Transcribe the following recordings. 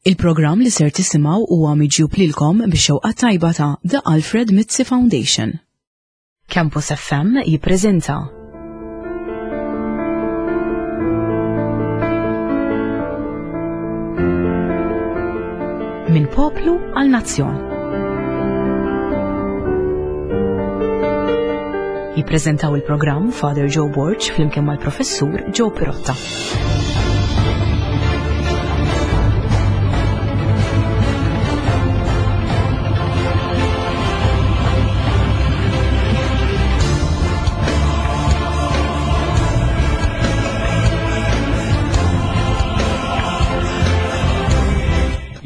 Il-programm li ser tisimgħu huwa miġjub lilkom bix-xewqa tajba ta' The Alfred Mizzi Foundation. Campus FM jippreżenta Minn poplu għal nazzjon. Jippreżentaw il-programm Father Joe Borg flimkien mal-Professur Joe Pirotta.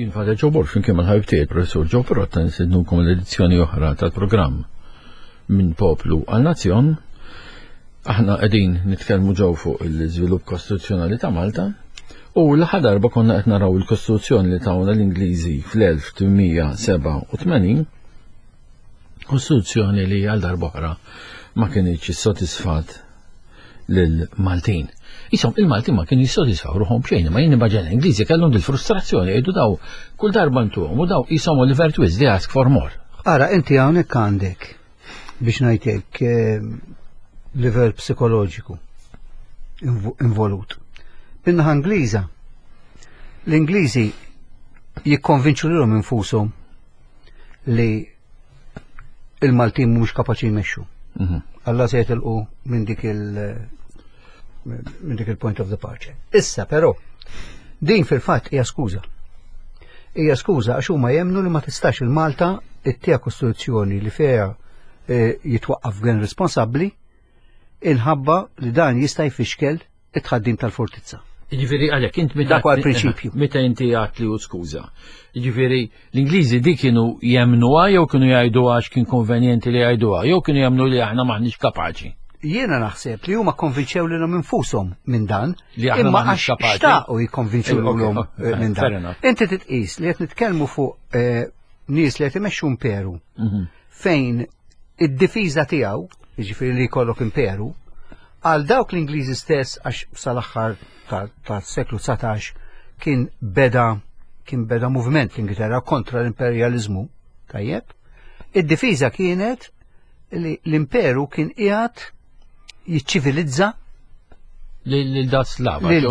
Jien Father Joe Borg flimkien mal-ħabib tiegħi Professur Joe Pirotta nistednukom l-edizzjoni oħra tal-programm Minn Poplu għal Nazzjon. Aħna qegħdin nitkellmu ġew fuq l-iżvilupp kostituzzjonali ta' Malta u l-aħħar darba konna qed naraw il-kostituzzjoni li tawna l-Ingliżi fl-1887 kostituzzjoni li għal darb'oħra ma kinitx issodisfat lill-Maltin. Isom, il-Maltin ma kienu jissodisfaw ruħhom b'xejn, ma jien immaġina l-Ingliżi kellhom dil-frustrazzjoni jgħidu daw kull darba ntuhom u daw isom Oliver Twist, they ask for more. Ara, inti hawnhekk għandek biex ngħidlek eh, livell psikoloġiku involut. Min-naħa Ingliża, l-Ingliżi jikkonvinċu lilhom infushom li il-Maltin mhumiex kapaċi jmexxu. Mhm. Alla se jitilqu minn dik il- minn dik il-point of departure. Issa però, din fil-fatt hija skuża. Hija skuża għax huma jemnu li ma tistax il-Malta ittija kostituzzjoni li fiha eh, jitwaqqaf gvern responsabbli inħabba li dan jista' jfixkel it-tħaddim tal-fortizza. Jiġifieri għalhekk int meta Dak huwa l-prinċipju. Meta inti għat li hu skuża. Jiġifieri l-Ingliżi dik kienu jemnuha jew kienu jgħiduha għax kien konvenjenti li jgħiduha, jew kienu jemnu li aħna maħniex kapaċi. Jiena naħseb li huma konvinċew lilhom infushom minn dan, Li aħna imma maħniex għax kapaċi. xtaqu jikkonvinċu Eh, ok, lilhom ok, eh, minn fair dan. enough. Inti titqis li qed nitkellmu fuq eh, nies li qed imexxu imperu Mhm. fejn id-difiża tiegħu, jiġifieri li jkollok imperu, għal dawk l-Ingliżi stess għax sal-aħħar tas-seklu 19 kien beda kien beda moviment fl-Ingilterra kontra l-imperjaliżmu, tajjeb. Id-difiża kienet li l-imperu kien qiegħed jiċċivilizza Lil da slava, lil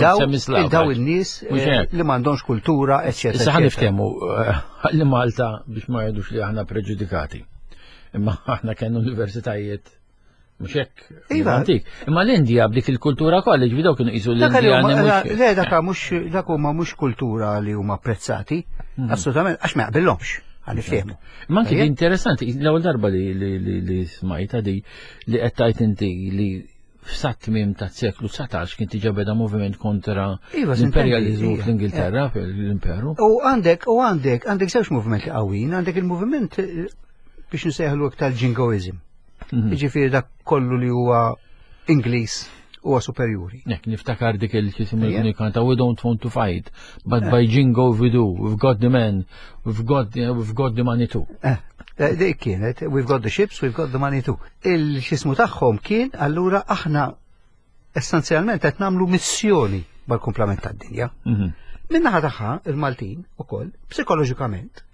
daw il-nies eh, li m'għandhomx kultura, eċċetera. Issa ħa niftehmu eh, li Malta biex ma jgħidux li aħna preġudikati. Imma aħna kellna universitajiet Mhux hekk. Iva. Antik. Imma l-Indja b'dik il-kultura kollha, ġifieri dawk kienu qisu l-Indja. Le dak mhux dak huma mhux kultura li huma apprezzati, mhm. assolutament għax ma jaqbillhomx għal iftiehmu. Ma anki interessanti, l-ewwel darba li smajta di li qed tajt inti li f'sat tmiem ta' seklu 19 kien diġà beda moviment kontra iva, l-imperjalizmu iva. fl-Ingilterra, fl-imperu. U għandek, u għandek, għandek żewġ movimenti qawwin, għandek il-moviment eh, biex nsejħlu iktar jingoism. Mhm. Jiġifieri dak kollu li huwa Ingliż huwa superjuri. Nek, niftakar dik il-ċisim li kanta, we don't want to fight, but eh. by jingo we do, we've got the men, we've got the, we've got the money too. Eh, eh, dik kienet, we've got the ships, we've got the money too. Il-xismu tagħhom kien allura aħna essenzjalment qed nagħmlu missjoni mal-kumplament tad-dinja. Mhm. Min-naħa tagħha il-Maltin ukoll psikoloġikament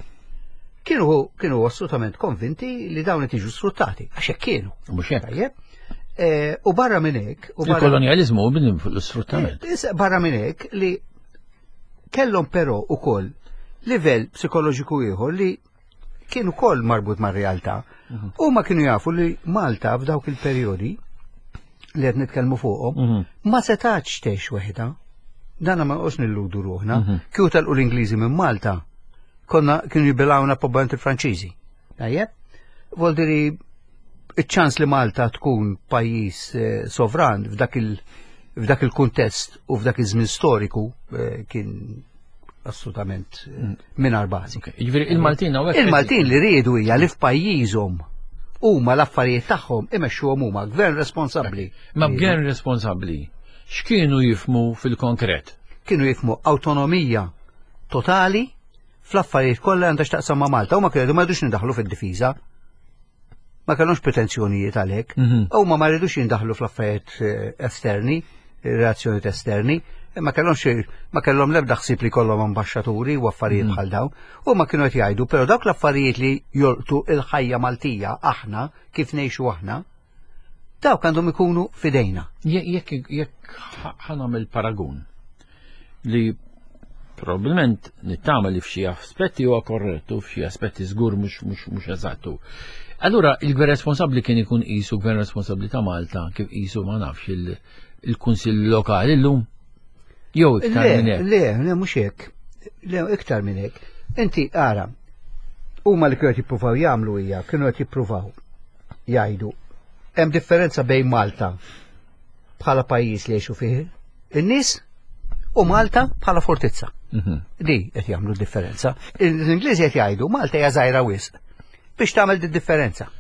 kienu kienu assolutament konvinti li dawn qed jiġu sfruttati għax hekk kienu. Mhux hekk. Tajjeb. Eh, u barra minn hekk. Il-kolonjaliżmu minn fuq l-sfruttament. Eh, barra minn hekk li kellhom però ukoll livell psikoloġiku ieħor li kien ukoll marbut mar-realtà. Mhm. Huma kienu jafu li Malta f'dawk il-perjodi li qed nitkellmu fuqhom mhm. ma setax tgħix weħda. Dana ma nqos nilludu ruħna. Mhm. Kieku telqu l-Ingliżi minn Malta, konna kienu jibilgħuna probabbilment il-Franċiżi. Tajjeb? Voldiri iċ-ċans li Malta tkun pajjiż eh, sovran f'dak il- f'dak il-kuntest u f'dak iż-żmien storiku eh, kien assolutament eh, mm. mingħajr bażi. Jiġifieri il-Maltin hawnhekk. Il-Maltin li riedu hija li f'pajjiżhom huma l-affarijiet tagħhom imexxuhom huma gvern responsabbli. Ma gvern responsabbli x'kienu jifmu fil-konkret? Kienu jifmu awtonomija totali fl-affarijiet kollha għandha x'taqsam ma' Malta. Huma kienu ma jridux nindaħlu fid-difiża. Ma kellhomx pretenzjonijiet għalhekk. Mhm. Huma ma rridux jindaħlu fl-affarijiet eh, esterni, relazzjonijiet esterni. Ma kellhomx ma kellhom l-ebda ħsieb li jkollhom ambaxxaturi u affarijiet mm. bħal dawn. U ma kienu qed jgħidu, però dawk l-affarijiet li jolqtu il-ħajja Maltija aħna kif ngħixu aħna, dawk għandhom ikunu fidejna. Jekk jekk ħanamel paragun li probabbilment nittama li f'xi aspetti huwa korrettu, f'xi aspetti żgur mhux mhux mhux eżattu. Allura il-gvern responsabbli kien ikun qisu gvern responsabbli ta' Malta kif qisu ma nafx il-kunsill lokali llum? Jew iktar minn hekk. Le, le, mhux hekk. Le, iktar minn hekk. Inti ara, huma li kienu qed jippruvaw jagħmlu hija kienu qed jippruvaw jgħidu hemm differenza bejn Malta bħala pajjiż li jgħixu fih in-nies u Malta bħala fortizza. Mhm. Di qed jagħmlu differenza. L-Ingliżi qed jgħidu Malta hija żgħira wisq biex tagħmel di differenza.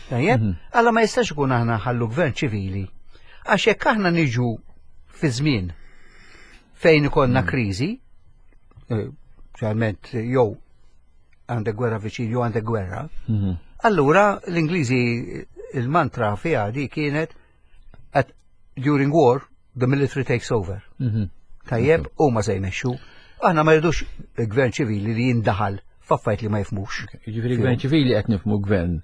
Tajjeb? Mhm. Alla ma jistax ikun aħna ħallu gvern ċivili. Għax jekk aħna niġu fi żmien fejn ikollna mhm. kriżi, eh, ġalment jew għandek gwerra viċin jew għandek gwerra, mhm. allura l-Ingliżi il-mantra fiha di kienet at during war the military takes over. Mhm. Tajjeb, u ma se jmexxu. Aħna ma rridux gvern ċivili li jindaħal f'affarijiet li ma jifmux. Jiġifieri gvern ċivili qed nifmu gvern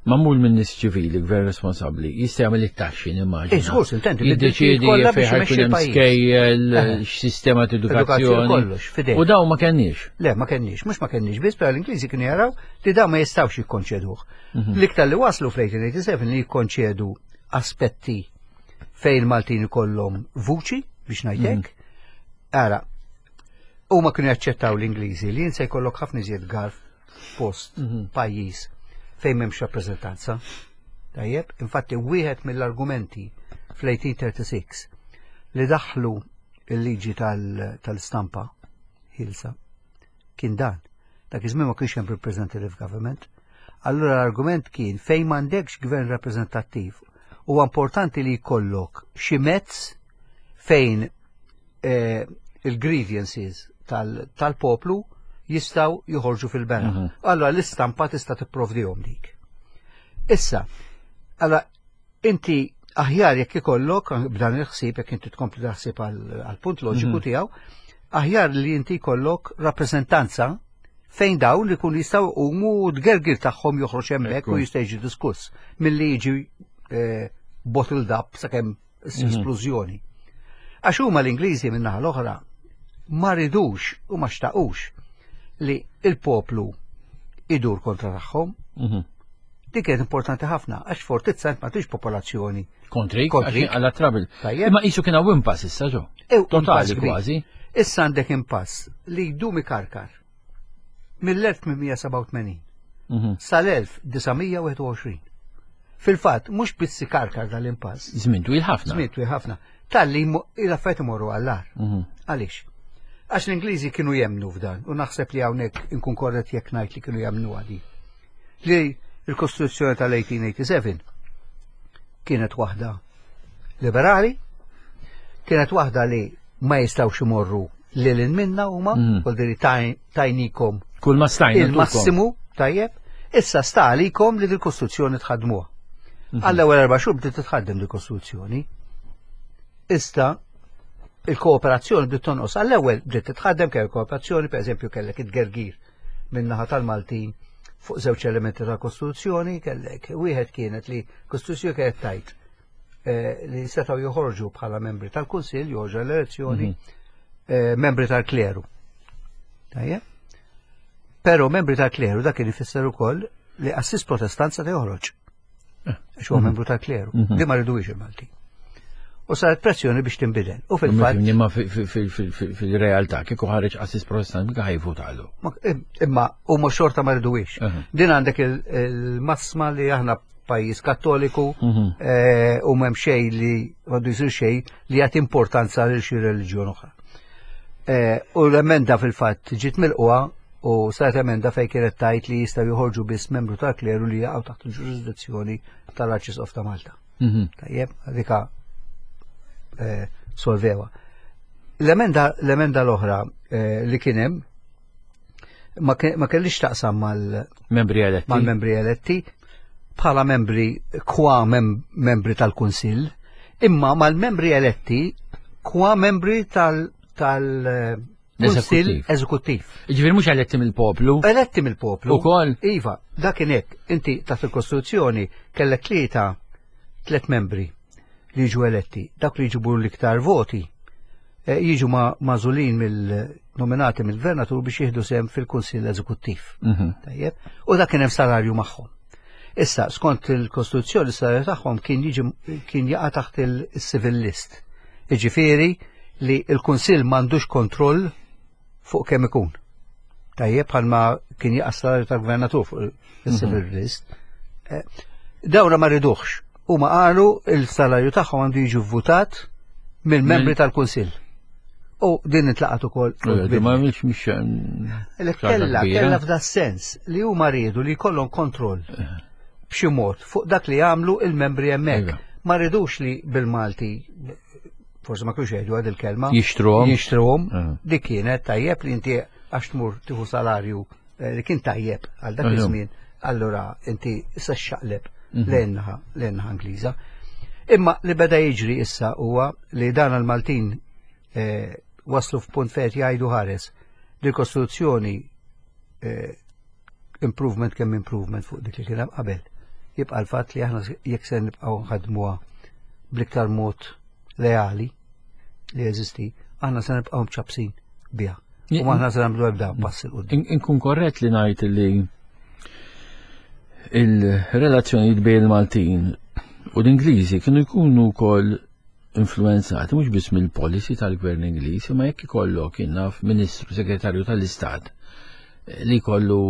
mamul minn nies ċivili, gvern responsabbli, jista' jagħmel it-taxxi nimmaġina. Iżgur, eh, intendi, jiddeċiedi fejn ħajkun hemm skejjel, eh. x'sistema ta' edukazzjoni. U dawn ma kenniex. Le, ma kenniex, mhux ma kenniex biss, però l-Ingliżi kienu jaraw li dawn ma jistgħux jikkonċeduh. Mhm. L-iktar li waslu fl-1887 li jikkonċedu aspetti fejn il-Maltin ikollhom vuċi biex ngħidlek. Mhm. Ara, huma kienu jaċċettaw l-Ingliżi li jinsa jkollok ħafna iżjed garf post mhm. pajjiż fejn m'hemmx rappreżentanza. Tajjeb, infatti wieħed mill-argumenti fl-1836 li daħlu il-liġi tal-stampa ħilsa kien dan. Dak iż-żmien ma kienx hemm representative government. Allura l-argument kien fejn m'għandekx gvern rappreżentattiv huwa importanti li jkollok xi mezz fejn eh, il-grievances tal-poplu jistaw joħorġu fil-bera. Mhm. Allora l-istampa tista' tipprovdihom dik. Issa, allora inti aħjar jekk ikollok b'dan il-ħsieb jekk inti tkompli taħsib għal-punt loġiku mhm. tiegħu, aħjar li inti jkollok rappreżentanza fejn dawn li kun jistgħu jqumu u d-gergir tagħhom joħroġ hemmhekk u jista' jiġi diskuss milli jiġi eh, bottled up sakemm mhm. splużjoni. Għax huma l-Ingliżi min-naħa l-oħra ma ridux u ma xtaqux li il-poplu idur kontra tagħhom. Mhm. Dik kienet importanti ħafna għax fortizza ma tix popolazzjoni. Kontri, kontri, għalla trabil. Imma qisu kien hawn impass issa ġo. Totali kważi. Issa għandek impass li jdum ikarkar mill-1887 mhm. sal-1921. Fil-fatt, mhux biss ikarkar dal-impass. Żmien twil ħafna. Żmien twil ħafna. Talli l-affarijiet imorru għall-ar. Mhm. Għaliex? Għax l-Ingliżi kienu jemnu f'dan, u naħseb li hawnhekk inkun korrett jekk ngħid li kienu jemnu għadi. Li l-Kostituzzjoni tal-1887 kienet waħda liberali, kienet waħda li ma jistawx imorru lil minna huma, mm. diri tajnikom kull ma stajna il-massimu tajjeb, issa sta għalikom li dil-Kostituzzjoni tħadmuha. Mhm. Għall-ewwel erba' xhur bdiet titħaddem dil-Kostituzzjoni. Issa il-kooperazzjoni bdiet tonqos. Għall-ewwel bdiet titħaddem kell kooperazzjoni, pereżempju kellek it-gergir min-naħa tal-Maltin fuq żewġ elementi tal-Kostituzzjoni, kellek wieħed kienet li Kostituzzjoni kienet tajt eh, li setgħu joħorġu bħala membri tal-Kunsill, joħorġu l-elezzjoni, mhm. eh, membri tal-kleru. Tajjeb? Però membri tal-kleru dak kien ifisser ukoll li assis protestant se joħroġ. Eh. Għax huwa mhm. membru tal-kleru. Mhm. Li ma rridux il-Malti. U saret pressjoni biex tinbidel. U fil-fatt. Imma fil-realtà kieku ħareġ assis protestant mika ħajvutalu. Imma huma xorta ma rridux. Din għandek il-massma li aħna pajjiż kattoliku mhm. eh, u m'hemm xejn li għandu jsir xejn li jagħti importanza lil xi reliġjon oħra. Eh, u l-emenda fil-fatt ġiet milquha u saret emenda fejn kienet tajt li jistgħu joħorġu biss membru tal-kleru li jaqgħu taħt il-ġurisdizzjoni tal-Arċisqof ta' Malta. Mhm. Tajjeb, dika eh, solvewa. L-emenda l-oħra li kien hemm ma kellix taqsam mal-membri eletti. Mal-membri eletti bħala membri kwa mem membri tal-Kunsill, imma mal-membri eletti kwa membri tal tal Kunsill Eżekuttiv. Ġifieri mhux eletti mill-poplu. Eletti mill-poplu. Ukoll. Iva, dak kien hekk. Inti taħt il-Kostituzzjoni kellek tlieta tliet membri li jiġu eletti. Dak li jġibu l-iktar voti eh, jiġu magħżulin mill-nominati mill-gvernatur biex jieħdu sehem fil-Kunsill Eżekuttiv. Mhm. Tajjeb. U dak kien hemm salarju magħhom. Issa, skont il-Kostituzzjoni, s-salarju tagħhom kien jiġi kien jaqa' taħt il-civil list. Jiġifieri li l-Kunsill m'għandux kontroll fuq kemm ikun. Tajjeb bħalma kien jaqa' s-salarju tal-gvernatur fuq il-civil mhm. list. Eh, dawra ma riduħx. Huma qalu il-salarju tagħhom għandu jiġi votat mill-membri tal-Kunsill. U din intlaqat ukoll. Ma mhix mhix Kella kella f'da sens li huma riedu li jkollhom kontroll b'xi mod fuq dak li jagħmlu il-membri hemmhekk. Iva. Ma rridux li bil-Malti forsi ma kienx jgħidu għad il-kelma. Jixtruhom. Jixtruhom. Eh. Dik kienet tajjeb li inti għax tmur tieħu salarju eh, li kien tajjeb għal dak iż-żmien, allura inti issa xaqleb mhm. lejn-naħa lejn-naħa Ingliża. Imma li beda jiġri issa huwa li dan għal-Maltin eh, waslu f'punt fejn jgħidu ħares li l-Kostituzzjoni eh, improvement kemm improvement fuq dik li kien hemm qabel. Jibqa' l-fatt li aħna jekk se nibqgħu nħadmuha bl-iktar mod leali li jeżisti, aħna se nibqgħu mċabsin biha. U aħna se nagħmlu ebda pass il quddiem. Inkun korrett li ngħid li il-relazzjonijiet bejn il-Maltin u l-Ingliżi kienu jkunu wkoll influenzati mhux biss mill-policy tal-gvern Ingliż, imma jekk ikollok naf Ministru Segretarju tal-Istat eh, li jkollu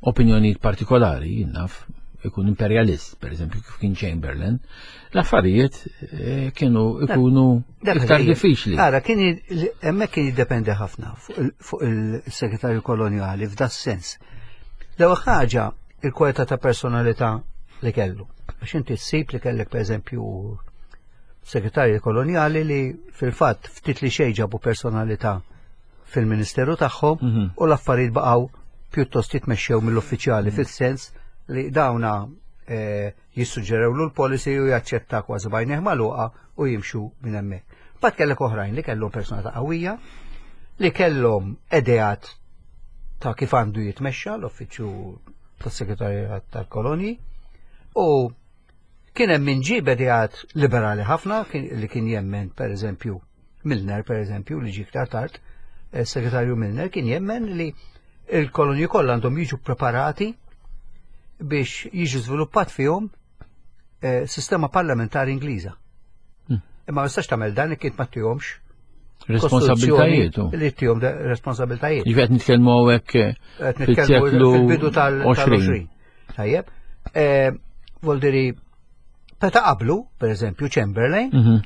opinjonijiet partikolari, naf ikun imperialist, per eżempju, kif kien Chamberlain, l-affarijiet eh, kienu ikunu iktar diffiċli. Ara, kien hemmhekk kien jiddependi ħafna fuq il-segretarju kolonjali f'da sens. L-ewwel ħaġa il-kwalità ta' personalità li kellu. Għax inti ssib li kellek pereżempju segretarji kolonjali li fil-fatt ftit li xejn ġabu personalità fil-ministeru tagħhom mm -hmm. u l-affarijiet baqgħu pjuttost jitmexxew mill-uffiċjali mm -hmm. fis-sens li dawna eh, jissuġġerewlu l-policy u jaċċetta kważi bajneh magħluqa u jimxu minn hemmhekk. Bat kellek oħrajn li kellhom personalità qawwija, li kellhom edeat ta' kif għandu jitmexxa l-uffiċċju tas-Segretarjat tal-Kolonji u kien hemm min ġie b'edeat liberali ħafna li kien jemmen pereżempju Milner pereżempju li ġie iktar tard, eh, segretarju Milner kien jemmen li il-kolonji kollha għandhom jiġu preparati biex jiġu żviluppat fihom eh, sistema parlamentari Ingliża. Hmm. Imma ma tistax tagħmel dan jekk ma tihomx responsabiltajiet. Li tihom responsabiltajiet. Ġifieri qed nitkellmu hawnhekk eh, fil-seklu fil-bidu tal-20. Tajjeb. Eh, Voldiri, meta qablu, per eżempju, Chamberlain, mhm.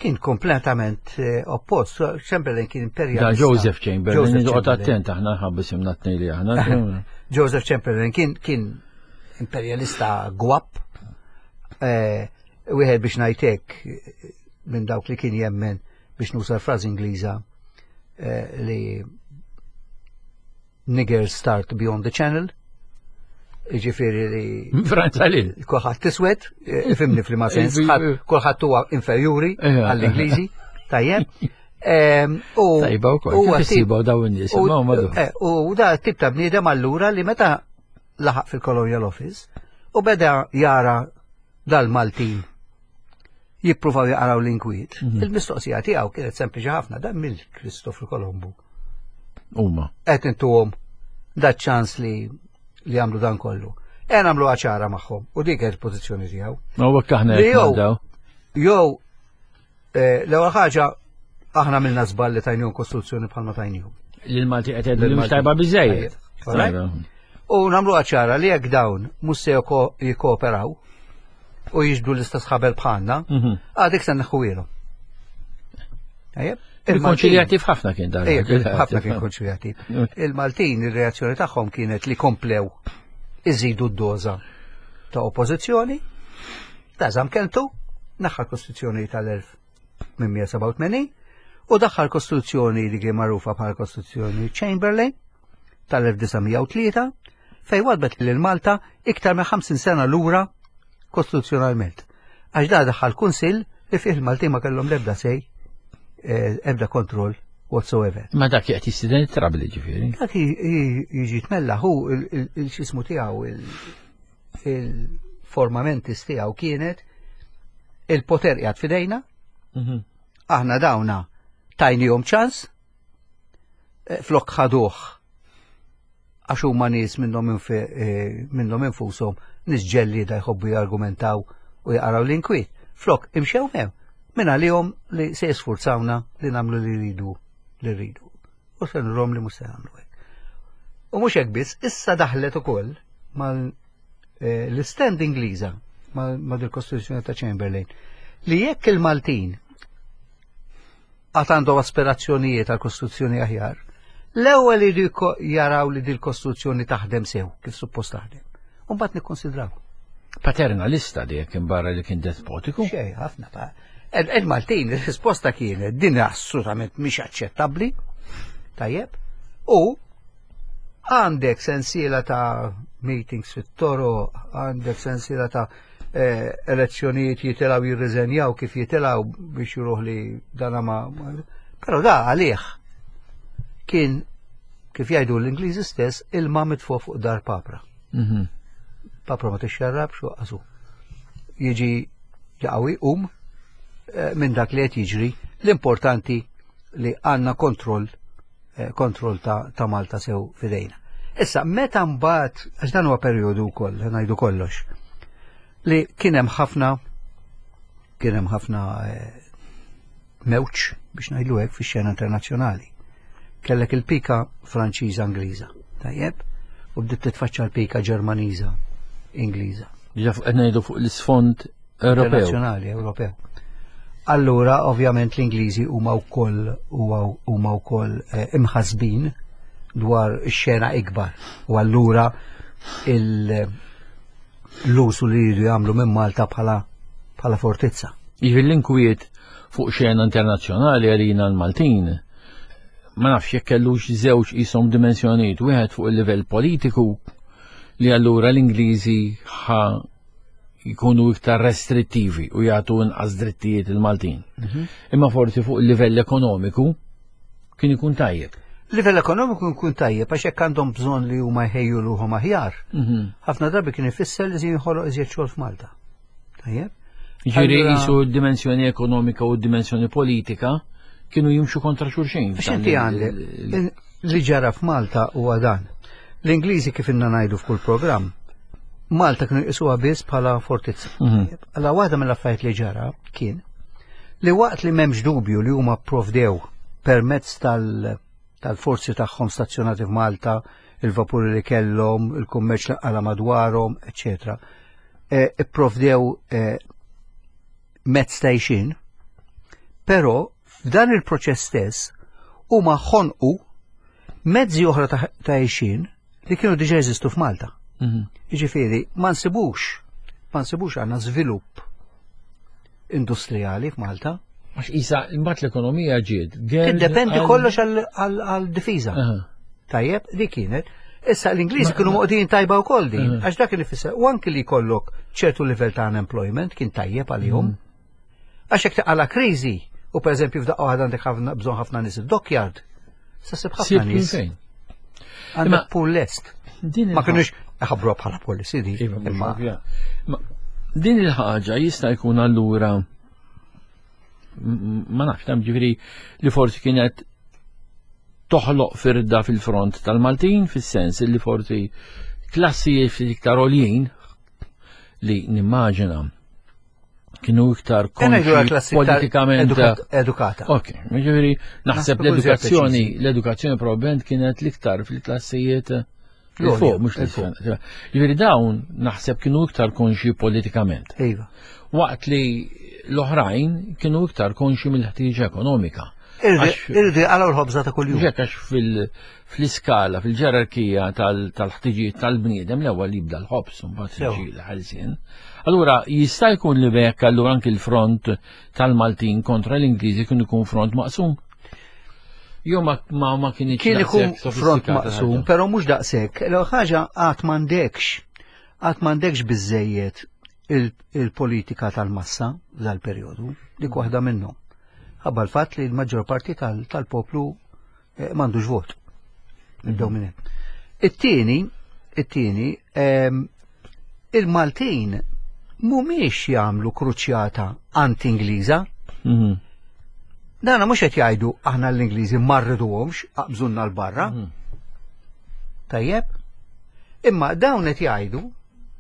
kien kompletament eh, oppost. Chamberlain kien imperjalista. Da Joseph Chamberlain, noqgħod attent aħna ħabba simna tnej li aħna. Joseph Chamberlain kien kien imperjalista gwap, eh, wieħed biex ngħidlek minn dawk li kien jemmen biex nuża l-frażi Ingliża eh, li niggers start beyond the channel, Ġifiri li. Franza li. Kulħadd tiswed, eh, ifimni fl-ma sens, kulħadd huwa inferjuri għall-Ingliżi, tajjeb. Ehm, u Tajba wkoll, kif issibu dawn in-nies, eh, U da tip ta' bniedem allura li meta laħaq fil-Colonial Office u beda jara dal-Maltin jippruvaw jaqraw l-inkwiet. Mhm. Il-mistoqsija tiegħu kienet sempliċi ħafna dan mill Kristofru Kolombu. Huma. Qed intuhom da ċans li li jagħmlu dan kollu. E nagħmlu ċara magħhom u dik kienet il-pożizzjoni tiegħu. Ma huwa aħna jew jew eh, l-ewwel ħaġa aħna minna żball li tajnihom kostruzzjoni bħalma tajnihom. Lil-Malti qed jgħidu li mhux tajba biżejjed. U nagħmlu ċara li jekk dawn mhux se jikkooperaw u jiġbdu l-istess ħabel bħalna, mhm. għadek se neħħuilhom. Il-konċiljattiv ħafna kien dan. Ħafna kien konċiljattiv. Il-Maltin ir-reazzjoni tagħhom kienet li komplew iżidu d-doża ta' oppożizzjoni, ta' żam keltu, naħħa l-Kostituzzjoni tal-1887 u daħħal Kostituzzjoni li kien magħrufa bħala Kostituzzjoni Chamberlain tal-1903 fejn wadbet lil Malta iktar minn 50 sena lura kostituzzjonalment. Għax da daħħal kunsill li fih il-Maltin ma kellhom l-ebda sej, eh, ebda kontroll whatsoever. Ma dak jgħat jistiden it-trabli ġifieri. Dak jiġi tmella hu il-xismu tiegħu il-formamentis tiegħu kienet il-poter qiegħed fidejna, mhm. aħna dawna tajnihom ċans, eh, flok ħaduh għax huma nies minnhom eh, minnhom infushom nies ġellieda jħobbu jargumentaw u jaqraw l-inkwiet. Flok imxew hemm minn għalihom li se jisfurzawna li nagħmlu li rridu li rridu. U se nurhom li mhux se nagħmlu hekk. U mhux hekk biss, issa daħlet ukoll mal eh, l-stand Ingliża ma' dil-Kostituzzjoni ta' Chamberlain li jekk il-Maltin għad għandhom aspirazzjonijiet għal kostruzzjoni aħjar, l-ewwel iridu jaraw li dil-kostruzzjoni taħdem sew kif suppost taħdem. U mbagħad nikkonsidraw. Paternalista li jekk imbarra li kien despotiku? Xej, ħafna pa. Il-Maltin, il-risposta kienet din assolutament mhix aċċettabbli. Tajjeb. U Għandek sensiela ta' meetings fit-toro, għandek sensiela ta' eh, elezzjonijiet jitilaw jirriżenjaw kif jitilaw biex juruħ li dana ma. Però da għalih kien kif jgħidu l-Ingliżi stess ilma mitfu fuq dar papra. Mhm. Papra ma tixxarrabx u qasu. Jiġi jaqawi um eh, minn dak li qed jiġri l-importanti li għandna kontroll Eh, kontroll ta', ta Malta sew fidejna. Issa, meta mbagħad, għax dan huwa perjodu wkoll, ngħidu kollox, li kien hemm ħafna kien hemm ħafna eh, mewġ biex ngħidu hekk fix-xena internazzjonali. Kellek il-pika Franċiża Ingliża, tajjeb, u bdiet titfaċċa l-pika Ġermaniża Ingliża. Ġa fuq ngħidu fuq l-isfond Ewropew. Nazzjonali Ewropew. Allura, ovvjament, l-Ingliżi huma wkoll huma wkoll eh, imħasbin dwar ix-xena ikbar. U allura l-usu li jridu jagħmlu minn Malta bħala bħala fortizza. Jiġifieri l-inkwiet fuq xena internazzjonali għalina l-Maltin ma nafx jekk kellux żewġ qishom dimensjonijiet, wieħed fuq il-livell politiku li allura l-Ingliżi ħa jkunu iktar restrittivi u jagħtu inqas drittijiet il-Maltin. Mhm. Imma forsi fuq il-livell ekonomiku kien ikun tajjeb. Livell ekonomiku jkun tajjeb għax hekk għandhom bżonn li huma jħejju ruħhom aħjar. Mhm. Ħafna drabi kien ifisser li jinħoloq iżjed xogħol f'Malta. Tajjeb? Ġieri jisu d-dimensjoni ekonomika u d-dimensjoni politika kienu jimxu kontra xulxin. Għax inti għandek li ġara f'Malta huwa dan. L-Ingliżi kif inna ngħidu f'kull programm, Malta kienu jqisuha biss bħala fortizza. Mhm. Alla waħda mill-affarijiet li ġara kien li waqt li m'hemmx dubju li huma provdew permezz tal-forzi tagħhom stazzjonati f'Malta, il-vapuri li kellhom, il-kummerċ li qala madwarhom, eċetera. E, ipprovdew e, mezz ta' għixien, però f'dan il-proċess stess huma ħonqu mezzi oħra ta' għixien li kienu diġa jeżistu f'Malta. Mhm. Jiġifieri ma nsibux, ma nsibux għandna żvilupp industrijali f'Malta. Għax isa imbagħad l-ekonomija ġiet. Tiddependi kollox għal-difiża. Tajjeb, di kienet. Issa l-Ingliżi kienu moqdin tajba wkoll din, għax dak li fisser, u anki li jkollok ċertu livell ta' unemployment kien tajjeb għalihom. Mhm. Għax jekk taqala kriżi, u pereżempju f'daqqa waħda għandek ħafna bżonn ħafna nies id-dockyard, sa sib ħafna nies. Għandek pool lest. Ma kienux ħabru bħala policy di. Iva, imma din il-ħaġa jista' jkun allura ma nafx tam ġifieri li forsi kienet toħloq firda fil-front tal-Maltin fis-sens li forsi klassijiet ftit iktar għoljin li nimmaġina kienu iktar konxi politikament edukata. Ok, ġifieri naħseb l-edukazzjoni, l-edukazzjoni probabbilment kienet l-iktar fil-klassijiet il-fuq, mhux l-fuq. Ġifieri dawn naħseb kienu iktar konxi politikament. Iva. Waqt li l-oħrajn kienu iktar konxi mill-ħtieġa ekonomika. Irridu jaqalgħu l-ħobża ta' kuljum. Ġek għax fl-iskala, fil-ġerarkija tal-ħtiġijiet tal-bniedem l-ewwel jibda l-ħobż u mbagħad jiġi l-ħelsien. Allura jista' jkun li bekk allura anki l-front tal-Maltin kontra l-Ingliżi kien ikun front maqsum. Jo ma ma ma kien Kien ikun front maqsum, però mhux daqshekk. L-ewwel ħaġa qatt m'għandekx qatt m'għandekx biżejjed. il-politika tal-massa dal-perjodu, dik waħda minnhom. Ħabba l-fatt li l-maġġor parti tal-poplu eh, m'għandux vot. Nibdew minn hemm. It-tieni, it-tieni, ehm, il-Maltin mhumiex jagħmlu kruċjata anti-Ingliża. Mhm. Dana mhux qed jgħidu aħna l-Ingliżi ma rriduhomx aqbżunna l-barra. Mhm. Tajjeb? Imma dawn qed jgħidu,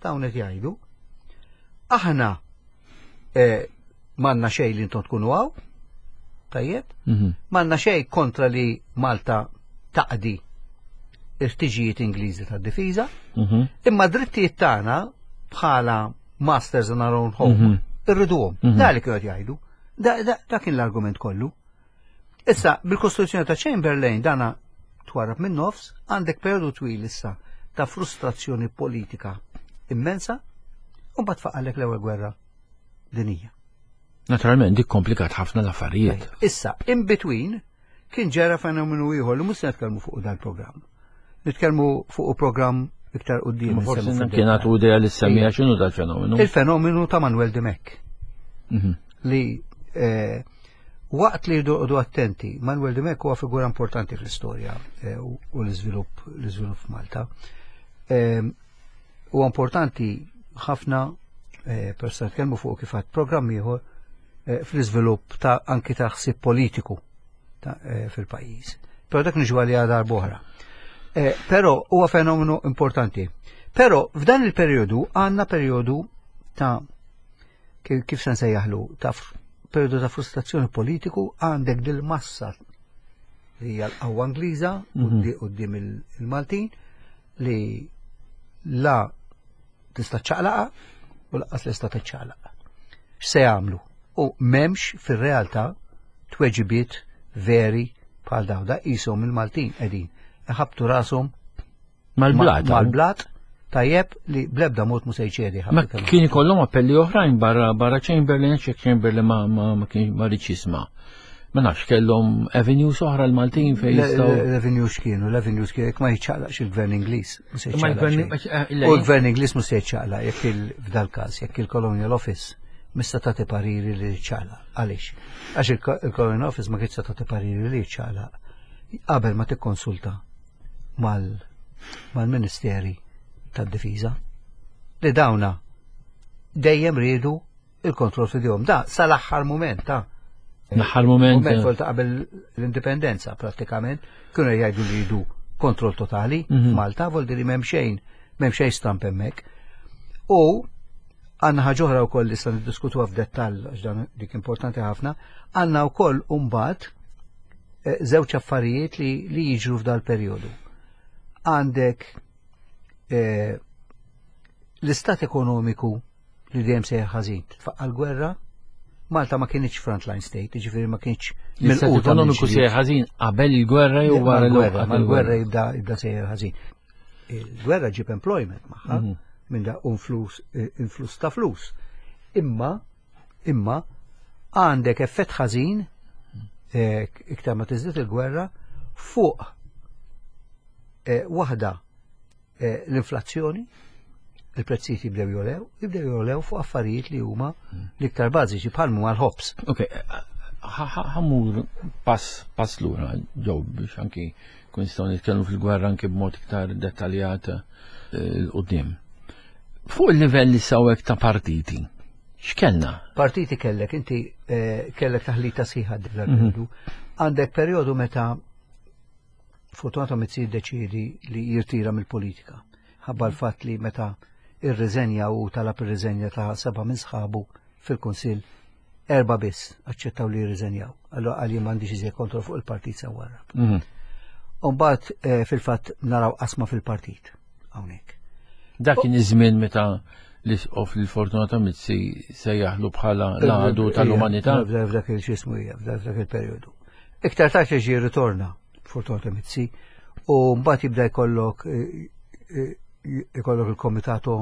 dawn qed jgħidu, aħna eh, M'għandna xejn li intom tkunu hawn, tajjeb? Mhm. M'għandna xejn kontra li Malta taqdi il-ħtiġijiet Ingliżi tad-difiża, mhm. imma drittijiet tagħna bħala masters in our own home, mhm. irriduhom. Da li kienu jgħidu. Da kien l-argument kollu. Issa, bil-kostruzzjoni ta' Chamberlain dana twarab minn nofs, għandek periodu twil issa ta' frustrazzjoni politika immensa, u mbagħad faqalek l-ewwel gwerra dinija. Naturalment, dik komplikat ħafna l-affarijiet. Issa, in between, kien ġara fenomenu ieħor li mhux se nitkellmu fuq dal-programm. Nitkellmu fuq programm iktar qudiem. Forsi kien għatu idea li semmija x'inhu dal-fenomenu. Il-fenomenu ta' Manuel Dimech. Mhm. Li eh, waqt li jdu attenti, Manuel Dimech huwa figura importanti fl-istorja eh, u l-iżvilupp l-iżvilupp f'Malta. Eh, Huwa importanti ħafna eh, per se nitkellmu fuq kif għad programm ieħor eh, fl-iżvilupp ta' anki ta' ħsieb politiku eh, fil-pajjiż. Però dak niġu għalija darb'oħra. Però huwa fenomenu importanti. Però f'dan il-perjodu għandna perjodu ta' kif se nsejjaħlu ta' perjodu ta' frustrazzjoni politiku għandek dil-massa li hija l-qawwa Ingliża mhm. quddiem il-Maltin li la tista' ċaqlaqa u laqqas li sta tiċċaqlaq. X'se jagħmlu? U m'hemmx fir-realtà tweġibiet veri bħal daw da qishom il-Maltin qegħdin iħabtu rashom mal-blat. Mal-blat tajjeb li blebda mod mu se jċedi. Ma kien ikollhom appelli oħrajn barra barra Chamberlain, xek Chamberlain ma ma ma kien ma rridx jisma'. Ma nafx kellhom avenues oħra l-Maltin fejn jistgħu. L-avenues kienu, l-avenues kienu jekk ma jiċċaqlaqx il-gvern Ingliż. Eh, u l-gvern Ingliż mhux se jiċċaqlaq jekk f'dal każ jekk il-Colonial Office mista tagħti pariri li jiċċaqlaq. Għaliex? Għax il-Colonial Office ma kienx tagħti pariri li jiċċaqlaq qabel ma tikkonsulta mal-Ministeri tad-Difiża li dawna dejjem riedu il-kontroll fidejhom. Da sal-aħħar mument ta' L-aħħar mument. Mument eh. ta' qabel l-indipendenza prattikament kienu jgħidu li jridu kontroll totali mhm. f'Malta, vol li m'hemm xejn, m'hemm xejn stamp hemmhekk. U għandna ħaġa oħra wkoll li se niddiskutuha f'dettall għax dan dik importanti ħafna, għandna wkoll mbagħad eh, żewġ affarijiet li, li jiġru f'dal perjodu. Għandek eh, l-istat ekonomiku li dejjem sejjer ħażin. Tfaqqa l-gwerra, Malta ma kienx frontline state, ġifieri ma kienx L-istat ekonomiku sejjer ħażin qabel il-gwerra jew wara l-gwerra. Mal-gwerra jibda jibda sejjer ħażin. Il-gwerra ġib employment magħha mhm. minn da influss eh, influss ta' flus. Imma imma għandek effett ħażin eh, iktar ma tiżdied il-gwerra fuq eh, waħda Eh, l-inflazzjoni, il-prezzijiet jibdew jolew, jibdew jolew fuq affarijiet li huma l-iktar bażiċi bħal huma l-ħobs. Ok, ħammur pass pass lura ġew biex anki kun nistgħu nitkellmu fil-gwerra anki b'mod iktar dettaljat eh, l-qudiem. Fuq il-livell li sawek ta' partiti, x'kellna? Partiti kellek, inti eh, kellek taħlita sħiħa mhm. Għandek perjodu meta Fortunato Mizzi jiddeċiedi li jirtira mill-politika. Ħabba l-fatt li meta irriżenja u talab ir-riżenja ta' seba' minn sħabu fil-Kunsill, erba' biss aċċettaw li jirriżenjaw. Allura qal jien m'għandix iżjed kontroll fuq il-partit se warrab. Mhm. Umbagħad eh, fil-fatt naraw qasma fil-partit hawnhekk. Dak kien iż-żmien meta l-isqof li Fortunato Mizzi sejjaħlu bħala l-għadu tal-umanità. F'dak il-xismu hija, f'dak il-perjodu. Iktar tard jiġi jirritorna Fortunato Mizzi u mbagħad jibda jkollok eh, eh, jkollok il-Komitato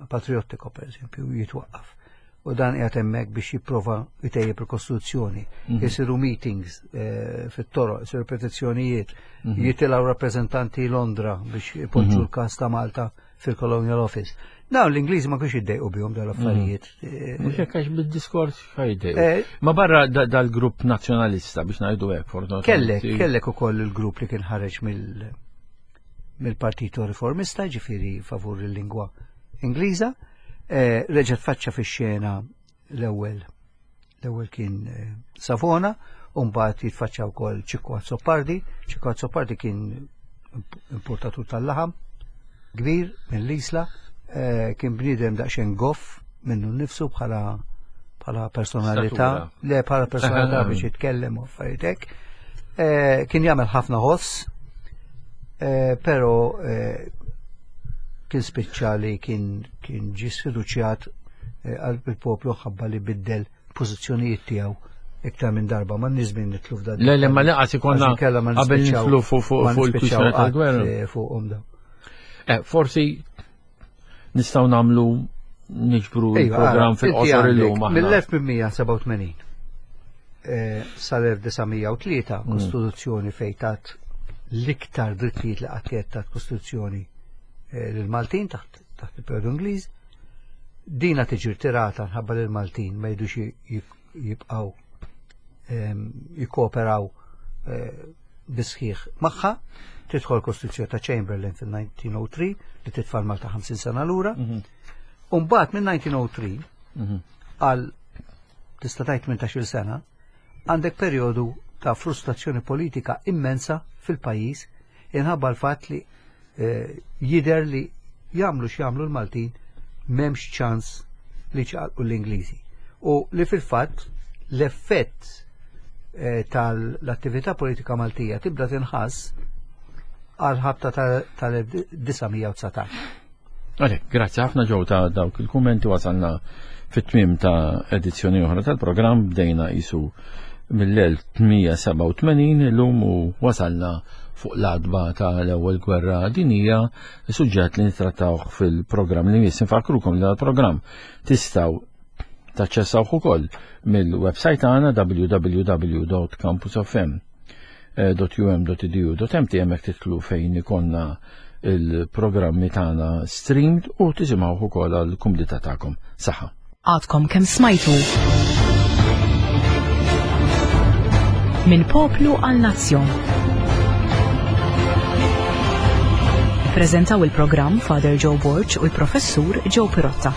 Patriottico per eżempju jitwaqqaf. U dan qiegħed hemmhekk biex jipprova jtejjeb il-Kostituzzjoni. Mhm. Isiru meetings eh, fit-toroq, isiru petizzjonijiet, mhm. jitilgħu rappreżentanti Londra biex ipoġġu mhm. l-każ ta' Malta fil-Colonial Office. Dawn l-Ingliżi ma kienx jiddejqu bihom dal-affarijiet. Mm. Mhux hekk għax bid-diskors ħajdejqu. Eh, ma barra dal-grupp nazzjonalista biex ngħidu hekk fortunatament. Kellek, kellek ukoll il-grupp li kien ħareġ mill mill-Partito Riformista, ġifieri favur il-lingwa Ingliża, eh, reġgħet faċċa fix-xena l-ewwel l-ewwel kien eh, Savona, u mbagħad jitfaċċa wkoll Ċikku Azzopardi. Ċikku Azzopardi kien importatur tal-laħam kbir mill-Isla, eh, kien bniedem daqsxejn goff minnu nnifsu bħala bħala personalità, le bħala personalità biex jitkellem u affarijiet hekk. Eh, kien jagħmel ħafna ħoss, eh, però kien spiċċa li kien kien ġie sfiduċjat qalb il-poplu ħabba li biddel pożizzjonijiet tiegħu iktar minn darba ma nizmin nitlu f'dan. Le, le, ma laqas ikonna qabel nitlu fuq il-kwistjoni tal-gwerra. Eh, fuqhom daw. Eh, forsi nistgħu nagħmlu niġbru il-programm fil-qosor illum. Mill-1887 eh, sal-1903 mm. Kostituzzjoni fejn tat l-iktar drittijiet li qatt tat Kostituzzjoni lill-Maltin taħt il-periodu Ingliż Dina tiġi rtirata nħabba li l-Maltin ma jidux jibqaw ehm, jikkooperaw eh, bisħiħ magħha, tidħol Kostituzzjoni ta' Chamberlain fil-1903 li titfal Malta 50 sena lura. Mhm. Umbagħad minn 1903 mhm. għal tista' tgħid 18-il sena għandek perjodu ta' frustrazzjoni politika immensa fil-pajjiż inħabba l-fatt li eh, jidher li jagħmlu x'jagħmlu l-Maltin m'hemmx ċans li ċaqalqu l-Ingliżi. U li fil-fatt l-effett eh, tal-attività politika Maltija tibda tinħass għal ħabta tal-1919. Għalek, grazzi ħafna ġew ta' dawk il-kummenti wasalna fit-tmiem ta' edizzjoni oħra tal-programm bdejna isu mill-1887 illum u wasalna fuq l-adba ta' l-ewwel gwerra dinija, suġġett li nittrattawh fil-programm li jmiss. Nfakrukom li dal-programm tistgħu taċċessawh ukoll mill-website tagħna www.campusfm.com .um.edu.mt hemmhekk titlu fejn ikonna il-programmi tagħna streamed u tisimgħu ukoll għall kumdità tagħkom. Saħħa. Għadkom kemm smajtu. Minn poplu għal nazzjon. Prezentaw il-programm Father Joe Borg u l-Professur Joe Pirotta.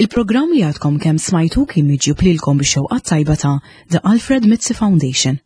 Il-programm li għadkom kemm smajtu kien miġjub lilkom bix-xewqa tajba ta' The Alfred Mizzi Foundation.